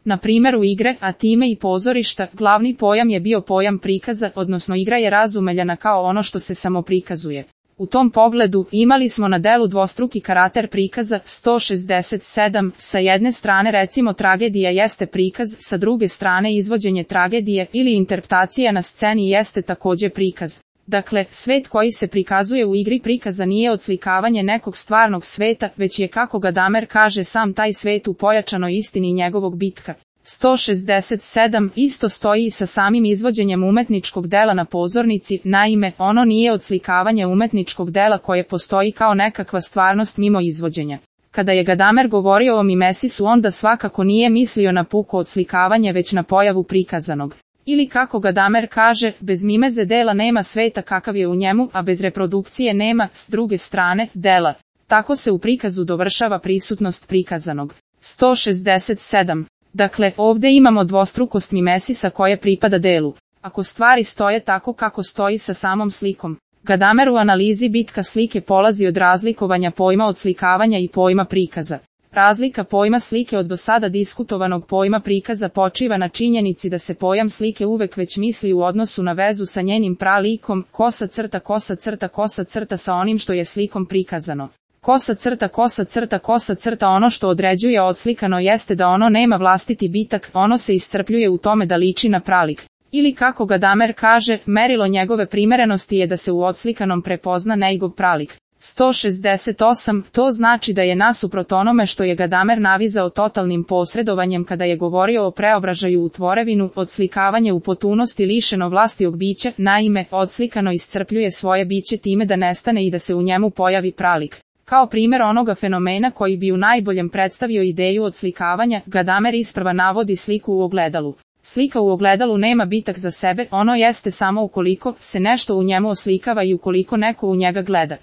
Na primjeru igre, a time i pozorišta, glavni pojam je bio pojam prikaza, odnosno igra je razumeljana kao ono što se samo prikazuje. U tom pogledu, imali smo na delu dvostruki karakter prikaza, 167, sa jedne strane recimo tragedija jeste prikaz, sa druge strane izvođenje tragedije ili interpretacija na sceni jeste također prikaz. Dakle, svet koji se prikazuje u igri prikaza nije odslikavanje nekog stvarnog sveta, već je, kako Gadamer kaže, sam taj svet u pojačanoj istini njegovog bitka. 167 isto stoji i sa samim izvođenjem umetničkog dela na pozornici, naime, ono nije odslikavanje umetničkog dela koje postoji kao nekakva stvarnost mimo izvođenja. Kada je Gadamer govorio o mimesisu, onda svakako nije mislio na puko odslikavanje već na pojavu prikazanog. Ili kako Gadamer kaže, bez mimeze dela nema sveta kakav je u njemu, a bez reprodukcije nema, s druge strane, dela. Tako se u prikazu dovršava prisutnost prikazanog. 167. Dakle, ovdje imamo dvostrukost mimesisa koje pripada delu. Ako stvari stoje tako kako stoji sa samom slikom, Gadamer u analizi bitka slike polazi od razlikovanja pojma odslikavanja i pojma prikaza. Razlika pojma slike od do sada diskutovanog pojma prikaza počiva na činjenici da se pojam slike uvek već misli u odnosu na vezu sa njenim pralikom, kosa crta kosa crta kosa crta sa onim što je slikom prikazano. Kosa crta kosa crta kosa crta ono što određuje odslikano jeste da ono nema vlastiti bitak, ono se iscrpljuje u tome da liči na pralik. Ili kako Gadamer kaže, merilo njegove primerenosti je da se u odslikanom prepozna njegov pralik. 168, to znači da je nasuprot onome što je Gadamer navizao totalnim posredovanjem kada je govorio o preobražaju u tvorevinu, odslikavanje u potpunosti lišeno vlastijog bića, naime, odslikano iscrpljuje svoje biće time da nestane i da se u njemu pojavi pralik. Kao primjer onoga fenomena koji bi u najboljem predstavio ideju odslikavanja, Gadamer isprva navodi sliku u ogledalu. Slika u ogledalu nema bitak za sebe, ono jeste samo ukoliko se nešto u njemu oslikava i ukoliko neko u njega gleda.